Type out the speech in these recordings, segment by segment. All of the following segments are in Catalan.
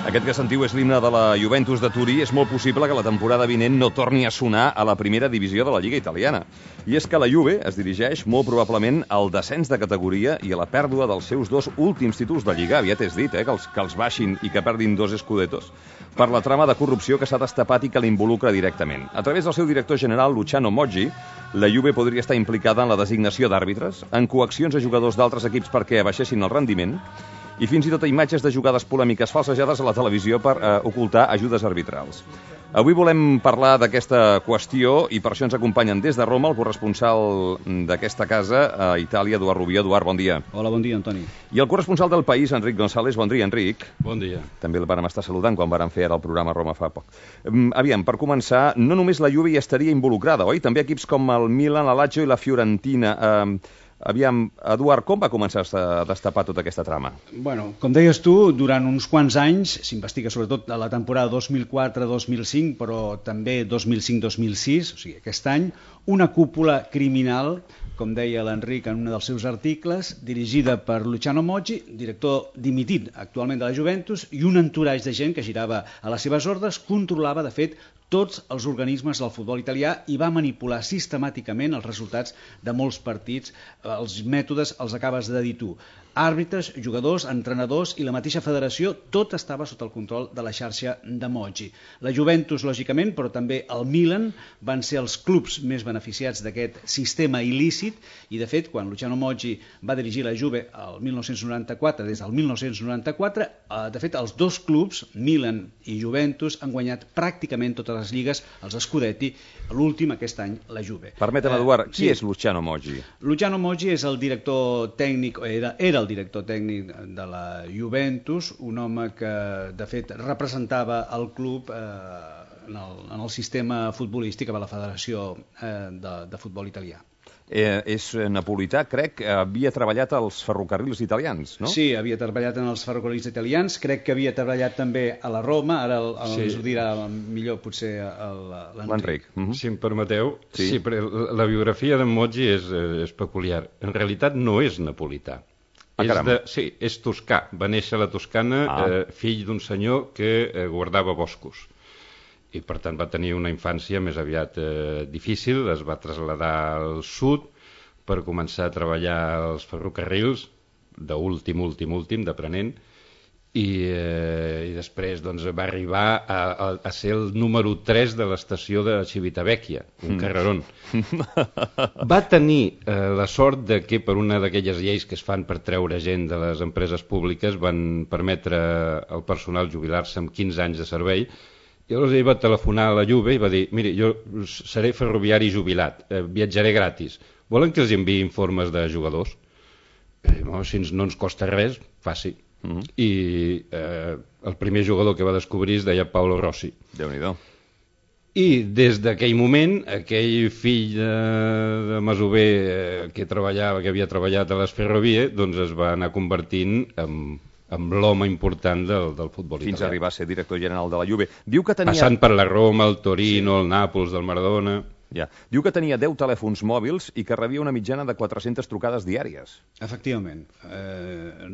Aquest que sentiu és l'himne de la Juventus de Turí. És molt possible que la temporada vinent no torni a sonar a la primera divisió de la Lliga italiana. I és que la Juve es dirigeix molt probablement al descens de categoria i a la pèrdua dels seus 2 últims títols de Lliga. Aviat és dit, que els baixin i que perdin 2 Scudettos per la trama de corrupció que s'ha destapat i que l'involucra directament. A través del seu director general, Luciano Moggi, la Juve podria estar implicada en la designació d'àrbitres, en coaccions a jugadors d'altres equips perquè abaixessin el rendiment i fins i tot a imatges de jugades polèmiques falsejades a la televisió per ocultar ajudes arbitrals. Avui volem parlar d'aquesta qüestió i per això ens acompanyen des de Roma el corresponsal d'aquesta casa a Itàlia, Eduard Rubió. Eduard, bon dia. Hola, bon dia, Antoni. I el corresponsal del País, Enric González. Bon dia, Enric. Bon dia. També el vàrem estar saludant quan vàrem fer ara el programa a Roma fa poc. Aviam, per començar, no només la Juve hi estaria involucrada, oi? També equips com el Milan, la Lazio i la Fiorentina. Aviam, Eduard, com va començar a destapar tota aquesta trama? Bueno, com deies tu, durant uns quants anys, s'investiga sobretot a la temporada 2004-2005, però també 2005-2006, o sigui, aquest any, una cúpula criminal, com deia l'Enric en un dels seus articles, dirigida per Luciano Moggi, director dimitit actualment de la Juventus, i un entourage de gent que girava a les seves ordres, controlava, de fet, tots els organismes del futbol italià i va manipular sistemàticament els resultats de molts partits. Els mètodes els acabes de dir tu. Àrbitres, jugadors, entrenadors i la mateixa federació, tot estava sota el control de la xarxa de Moggi. La Juventus, lògicament, però també el Milan van ser els clubs més beneficiats d'aquest sistema il·lícit i, de fet, quan Luciano Moggi va dirigir la Juve el 1994, des del 1994, de fet, els 2 clubs, Milan i Juventus, han guanyat pràcticament totes les lligues, els Scudetti, l'últim aquest any, la Juve. Permetem, Eduard, qui és Luciano Moggi? Luciano Moggi és el director tècnic, era el director tècnic de la Juventus, un home que, de fet, representava el club en el sistema futbolístic a la Federació de Futbol Italià. És napolità, crec, havia treballat als ferrocarrils italians, no? Sí, havia treballat en els ferrocarrils italians, crec que havia treballat també a la Roma, ara ens ho dirà millor potser l'Enric. Si em permeteu, sí, però la biografia d'en Moggi és peculiar. En realitat no és napolità. Sí, és toscà. Va néixer a la Toscana, fill d'un senyor que guardava boscos. I per tant va tenir una infància més aviat difícil, es va traslladar al sud per començar a treballar als ferrocarrils, d'últim, d'aprenent, i després doncs, va arribar a ser el número 3 de l'estació de Civitavecchia, un carrerón. Va tenir la sort de que per una d'aquelles lleis que es fan per treure gent de les empreses públiques van permetre al personal jubilar-se amb 15 anys de servei. I llavors ell va telefonar a la Juve i va dir: miri, jo seré ferroviari jubilat, viatjaré gratis. Volen que els enviï informes de jugadors? Si no ens costa res, faci. I el primer jugador que va descobrir es deia Paolo Rossi. Déu-n'hi-do. I des d'aquell moment, aquell fill de masover que havia treballat a les ferrovies, doncs es va anar convertint amb l'home important del futbol italià. Fins a arribar a ser director general de la Juve. Diu que tenia... Passant per la Roma, el Torino, el Nàpols, del Maradona... Ja. Diu que tenia 10 telèfons mòbils i que rebia una mitjana de 400 trucades diàries. Efectivament.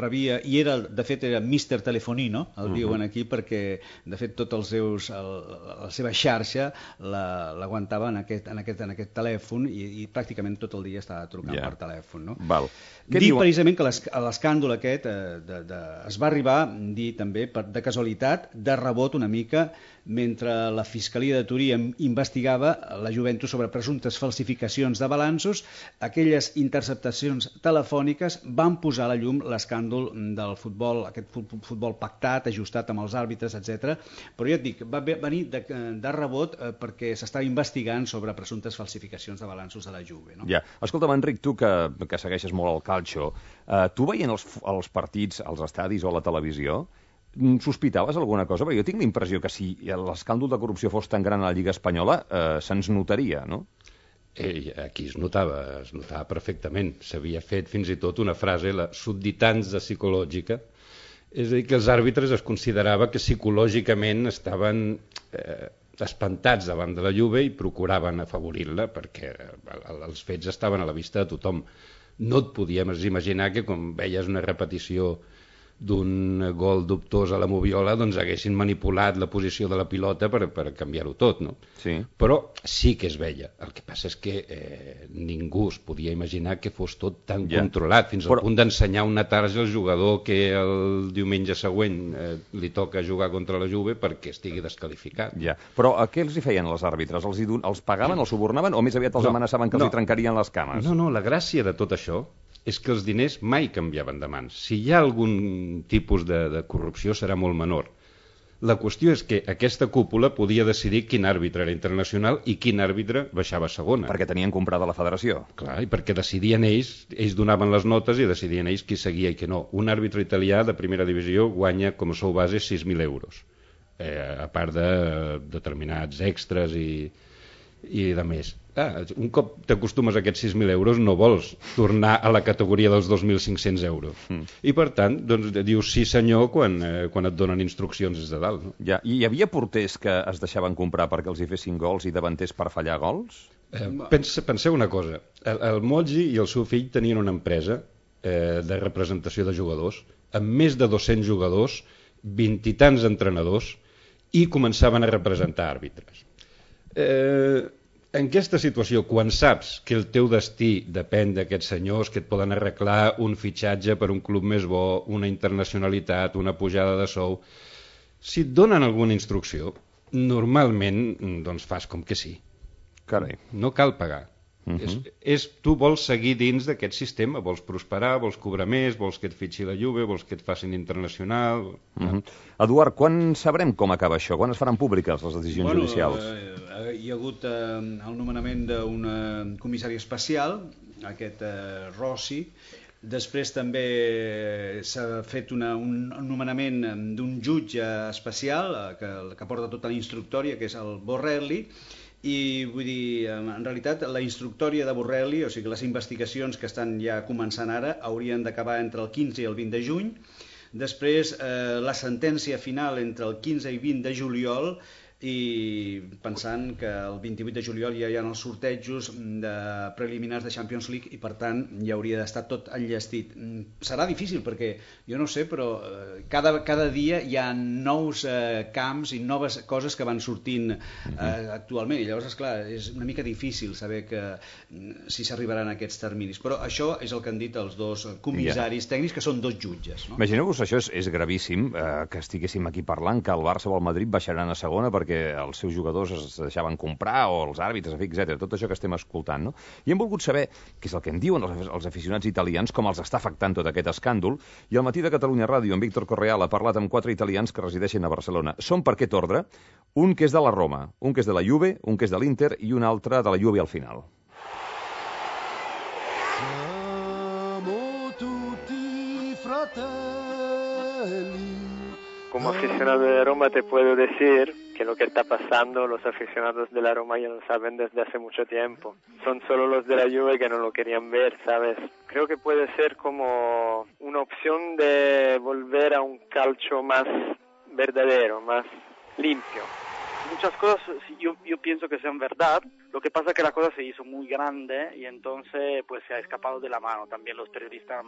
Rebia, i de fet era Mr. Telefonino, el diuen aquí, perquè de fet tot la seva xarxa l'aguantava en aquest telèfon i pràcticament tot el dia estava trucant per telèfon. No? Val. Dic precisament que l'escàndol aquest es va arribar, dir també, de casualitat, de rebot una mica, mentre la Fiscalia de Turí investigava la Juventus sobre presumptes falsificacions de balanços, aquelles interceptacions telefòniques van posar a la llum l'escàndol del futbol, aquest futbol pactat, ajustat amb els àrbitres, etc. Però ja et dic, va venir de rebot perquè s'estava investigant sobre presumptes falsificacions de balanços de la Juve. No? Ja. Escolta'm, Enric, tu que segueixes molt el calcio, tu veient els partits als estadis o a la televisió, sospitaves alguna cosa? Perquè jo tinc la impressió que si l'escàndol de corrupció fos tan gran a la Lliga Espanyola, se'ns notaria, no? Aquí es notava perfectament. S'havia fet fins i tot una frase, la subditanza psicològica, és a dir, que els àrbitres es considerava que psicològicament estaven espantats davant de la Juve i procuraven afavorir-la perquè els fets estaven a la vista de tothom. No et podíem imaginar que quan veies una repetició gol dubtós a la Moviola, doncs haguessin manipulat la posició de la pilota per canviar-ho tot, no? Sí. Però sí que es veia. El que passa és que ningú es podia imaginar que fos tot tan controlat, fins al punt d'ensenyar una tarja al jugador que el diumenge següent li toca jugar contra la Juve perquè estigui desqualificat. Ja. Però què els hi feien els àrbitres? Els pagaven, els subornaven o més aviat els amenaçaven que els hi trencarien les cames? No, la gràcia de tot això és que els diners mai canviaven de mans. Si hi ha algun tipus de corrupció serà molt menor. La qüestió és que aquesta cúpula podia decidir quin àrbitre era internacional i quin àrbitre baixava a segona. Perquè tenien comprada la federació. Clar, i perquè decidien ells donaven les notes i decidien ells qui seguia i qui no. Un àrbitre italià de primera divisió guanya com a sou base 6.000 euros, a part de determinats extras i de més. Un cop t'acostumes a aquests 6.000 euros no vols tornar a la categoria dels 2.500 euros. I per tant, doncs, dius sí senyor quan et donen instruccions des de dalt. No? Ja. I hi havia porters que es deixaven comprar perquè els hi fessin gols i davanters per fallar gols? Penseu una cosa. El Moggi i el seu fill tenien una empresa de representació de jugadors amb més de 200 jugadors, 20 i tants entrenadors, i començaven a representar àrbitres. En aquesta situació, quan saps que el teu destí depèn d'aquests senyors que et poden arreglar un fitxatge per un club més bo, una internacionalitat, una pujada de sou, si et donen alguna instrucció, normalment doncs fas com que sí. Carai. No cal pagar. Tu vols seguir dins d'aquest sistema, vols prosperar, vols cobrar més, vols que et fitxi la Juve, vols que et facin internacional... Eduard, quan sabrem com acaba això? Quan es faran públiques les decisions judicials? Hi ha hagut el nomenament d'un comissari especial, aquest Rossi. Després també s'ha fet un nomenament d'un jutge especial que porta tota la instructòria, que és el Borrelli. I vull dir, en realitat la instructòria de Borrelli, o sigui les investigacions que estan ja començant ara, haurien d'acabar entre el 15 i el 20 de juny. Després la sentència final entre el 15 i 20 de juliol, i pensant que el 28 de juliol ja hi ha els sortejos preliminars de Champions League i per tant ja hauria d'estar tot enllestit. Serà difícil perquè, jo no sé, però cada dia hi ha nous camps i noves coses que van sortint actualment i llavors, esclar, és una mica difícil saber si s'arribaran a aquests terminis, però això és el que han dit els dos comissaris tècnics, que són dos jutges. Imagineu-vos, això és gravíssim, que estiguéssim aquí parlant que el Barça o el Madrid baixaran a segona perquè els seus jugadors es deixaven comprar o els àrbitres, etc. Tot això que estem escoltant, no? I hem volgut saber què és el que en diuen els aficionats italians, com els està afectant tot aquest escàndol, i al matí de Catalunya Ràdio, en Víctor Correal ha parlat amb 4 italians que resideixen a Barcelona. Són per aquest ordre, un que és de la Roma, un que és de la Juve, un que és de l'Inter i un altre de la Juve al final. Siamo tutti fratelli. Como aficionado de Roma te puedo decir que lo que está pasando, los aficionados de la Roma ya lo saben desde hace mucho tiempo. Son solo los de la Juve que no lo querían ver, ¿sabes? Creo que puede ser como una opción de volver a un calcio más verdadero, más limpio. Muchas cosas yo pienso que sean verdad, lo que pasa es que la cosa se hizo muy grande y entonces pues se ha escapado de la mano. También los periodistas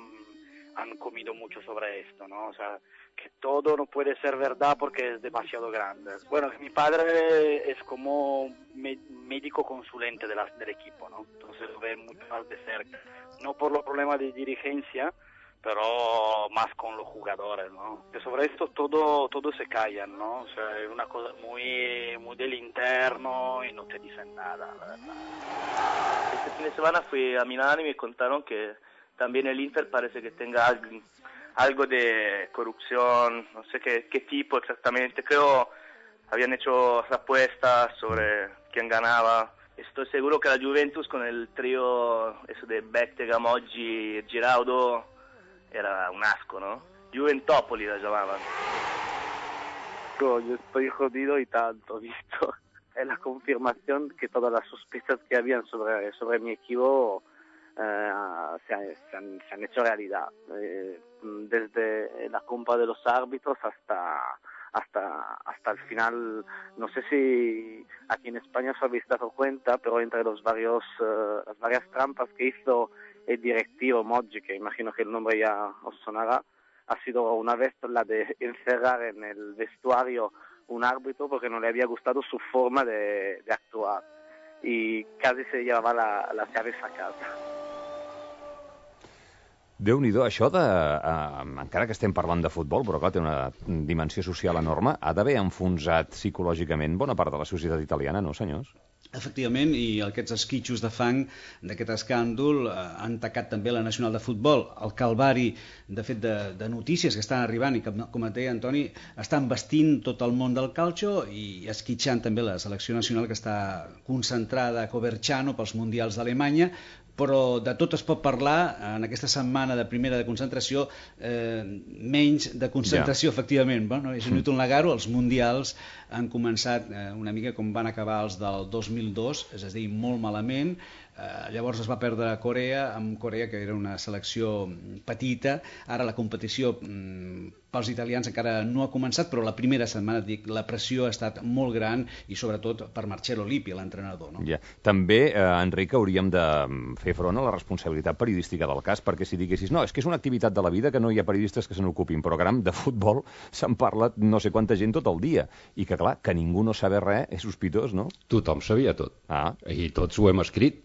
han comido mucho sobre esto, ¿no? O sea, que todo no puede ser verdad porque es demasiado grande. Bueno, mi padre es como médico consulente del equipo, ¿no? Entonces lo ve mucho más de cerca. No por los problemas de dirigencia, pero más con los jugadores, ¿no? Que sobre esto todo se callan, ¿no? O sea, es una cosa muy del interno y no te dicen nada, la verdad. Este fin de semana fui a Milán y me contaron que también el Inter parece que tenga algo de corrupción, no sé qué tipo exactamente. Creo habían hecho apuestas sobre quién ganaba. Estoy seguro que la Juventus con el trío eso de Bettega, Moggi y Giraudo era un asco, ¿no? Juventopoli la llamaban. Yo estoy jodido y tanto, visto. Es la confirmación que todas las sospechas que habían sobre mi equipo se han hecho realidad. Desde la compra de los árbitros hasta el final. No sé si aquí en España os habéis dado cuenta, pero entre las varias trampas que hizo el directivo Moggi, que imagino que el nombre ya os sonará, ha sido una vez la de encerrar en el vestuario un árbitro porque no le había gustado su forma de actuar y casi se llevaba las llaves a casa. Déu-n'hi-do, això de... encara que estem parlant de futbol, però clar, té una dimensió social enorme, ha d'haver enfonsat psicològicament bona part de la societat italiana, no, senyors? Efectivament, i aquests esquitxos de fang d'aquest escàndol han tacat també la Nacional de Futbol. El calvari, de fet, de notícies que estan arribant i que, com et deia Antoni, estan vestint tot el món del calcio i esquitxant també la selecció nacional que està concentrada a Coverciano pels Mundials d'Alemanya, però de tot es pot parlar en aquesta setmana de primera de concentració, menys de concentració, efectivament. Bueno, és inútil negar-ho, els mundials han començat una mica com van acabar els del 2002, és a dir, molt malament. Llavors es va perdre a Corea, amb Corea, que era una selecció petita. Ara la competició pels italians encara no ha començat, però la primera setmana, dic, la pressió ha estat molt gran i sobretot per Marcello Lippi, l'entrenador. No? Ja. També, Enric, hauríem de fer front a la responsabilitat periodística del cas, perquè si diguessis, no, és que és una activitat de la vida que no hi ha periodistes que se n'ocupin, però caram, de futbol se'n parla no sé quanta gent tot el dia, i que clar, que ningú no sabe res és sospitós, no? Tothom sabia tot, i tots ho hem escrit.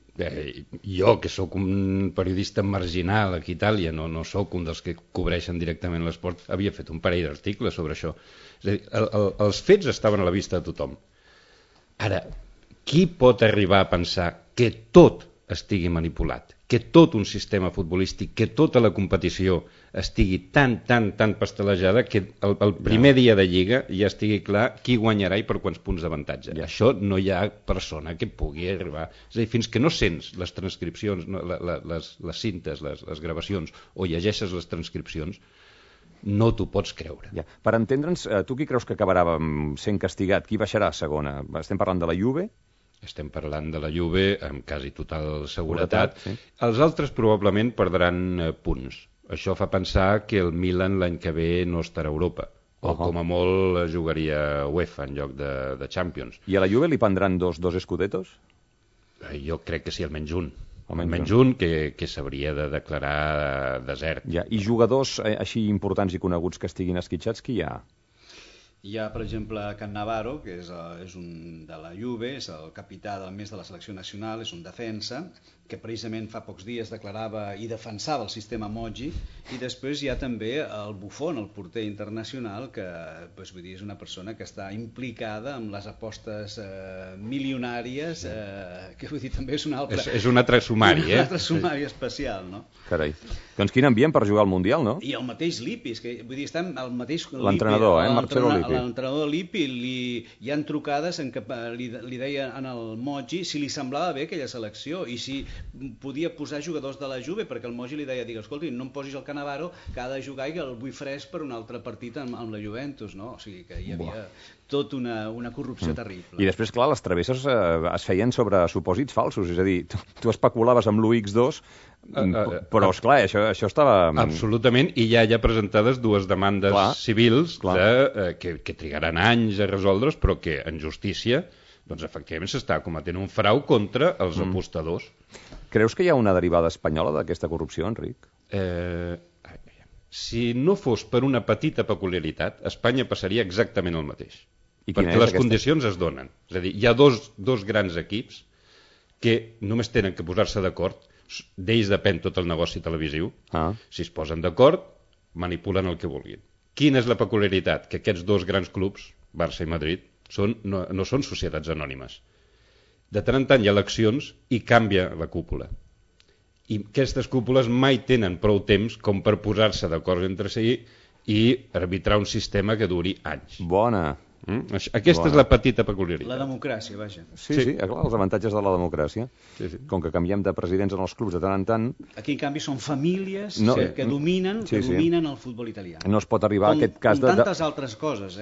Jo, que sóc un periodista marginal aquí a Itàlia, no sóc un dels que cobreixen directament l'esport, havia fet un parell d'articles sobre això. És a dir, els fets estaven a la vista de tothom. Ara, qui pot arribar a pensar que tot estigui manipulat, que tot un sistema futbolístic, que tota la competició estigui tan pastelejada que el primer dia de Lliga ja estigui clar qui guanyarà i per quants punts d'avantatge. Això no hi ha persona que pugui arribar. És a dir, fins que no sents les transcripcions, les cintes, les gravacions, o llegeixes les transcripcions, no t'ho pots creure. Ja. Per entendre'ns, tu qui creus que acabarà sent castigat? Qui baixarà a segona? Estem parlant de la Juve? Estem parlant de la Juve amb quasi total seguretat. Sí. Els altres probablement perdran punts. Això fa pensar que el Milan l'any que ve no estarà a Europa. O com a molt jugaria UEFA en lloc de Champions. I a la Juve li prendran dos escudetos? Jo crec que sí, almenys un. Almenys un que s'hauria de declarar desert. Ja. I jugadors així importants i coneguts que estiguin esquitxats, qui hi ha? Hi ha, per exemple, Cannavaro, que és un de la Juve, és el capità del mes de la selecció nacional, és un defensa, que precisament fa pocs dies declarava i defensava el sistema Moggi, i després hi ha també el Buffon, el porter internacional, que vull dir, és una persona que està implicada amb les apostes milionàries, que vull dir, també és un altre... És un altre sumari, Un altre sumari especial, no? Carai. Doncs quin ambient per jugar al Mundial, no? I el mateix Lippi, que vull dir, està el mateix... L'entrenador, Marcello Lippi. L'entrenador Lippi, hi ha trucades en què li deia en el Moggi si li semblava bé aquella selecció i si podia posar jugadors de la Juve, perquè el Moggi li deia, escolti, no em posis el Cannavaro, que ha de jugar i que el vull fresc per un altre partit amb la Juventus, no? O sigui que hi havia tot una corrupció terrible. I després, clar, les travesses es feien sobre supòsits falsos, és a dir, tu especulaves amb l'UX2, però, esclar, això estava... Absolutament, i ja hi ha presentades dues demandes civils que trigaran anys a resoldre's, però que en justícia doncs efectivament s'està cometent un frau contra els apostadors. Creus que hi ha una derivada espanyola d'aquesta corrupció, Enric? Si no fos per una petita peculiaritat, Espanya passaria exactament el mateix. Perquè les condicions es donen. És a dir, hi ha dos grans equips que només tenen que posar-se d'acord, d'ells depèn tot el negoci televisiu, si es posen d'acord, manipulen el que vulguin. Quina és la peculiaritat? Que aquests dos grans clubs, Barça i Madrid, no són societats anònimes. De tant en tant hi ha eleccions i canvia la cúpula. I aquestes cúpules mai tenen prou temps com per posar-se d'acord entre si i arbitrar un sistema que duri anys. Bona. Aquesta és la petita peculiaritat. La democràcia, vaja. Sí, clar, els avantatges de la democràcia. Com que canviem de presidents en els clubs de tant en tant... Aquí, en canvi, són famílies que dominen el futbol italià. No es pot arribar a aquest cas de... Com tantes altres coses,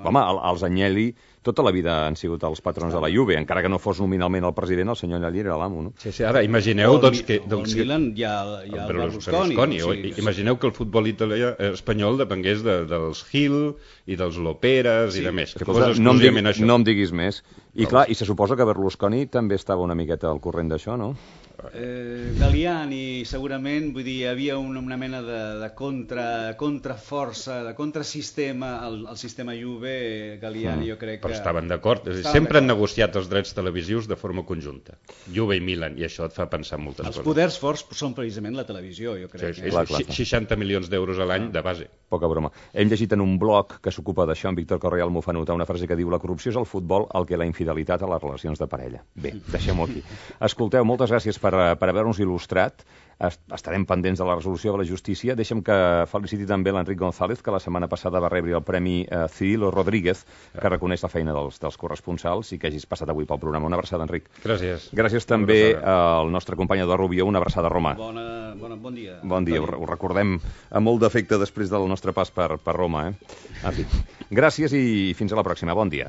Home, els Agnelli tota la vida han sigut els patrons de la Juve, encara que no fos nominalment el president, el senyor Agnelli era l'amo, no? Sí, ara imagineu que... El Milan hi ha el Berlusconi. Imagineu que el futbol italià espanyol depengués dels Gil i dels Loperas i de més. No em diguis més. I clar, i se suposa que Berlusconi també estava una miqueta al corrent d'això, no? Galliani, segurament, vull dir, hi havia una mena de contraforça, de contrasistema al sistema Juve. Galliani, jo crec que... Però estaven d'acord, sempre han negociat els drets televisius de forma conjunta, Juve i Milan, i això et fa pensar en moltes coses. Els poders forts són precisament la televisió, jo crec. Sí, 60 milions d'euros a l'any de base. Poca broma. Hem llegit en un blog que s'ocupa d'això, en Víctor Correal m'ho fa notar, una frase que diu: la corrupció és al futbol el que la infidelitat a les relacions de parella. Bé, deixem-ho aquí. Escolteu, moltes gràcies per haver-nos il·lustrat. Estarem pendents de la resolució de la justícia. Deixa'm que feliciti també l'Enric González, que la setmana passada va rebre el Premi Cirilo Rodríguez, que reconeix la feina dels corresponsals, i que hagis passat avui pel programa. Una abraçada, Enric. Gràcies. Gràcies també al nostre company Eduard Rubió. Una abraçada, Roma. Bon dia. Bon dia. Ho recordem amb molt d'afecte després del nostre pas per Roma. En fi, gràcies i fins a la pròxima. Bon dia.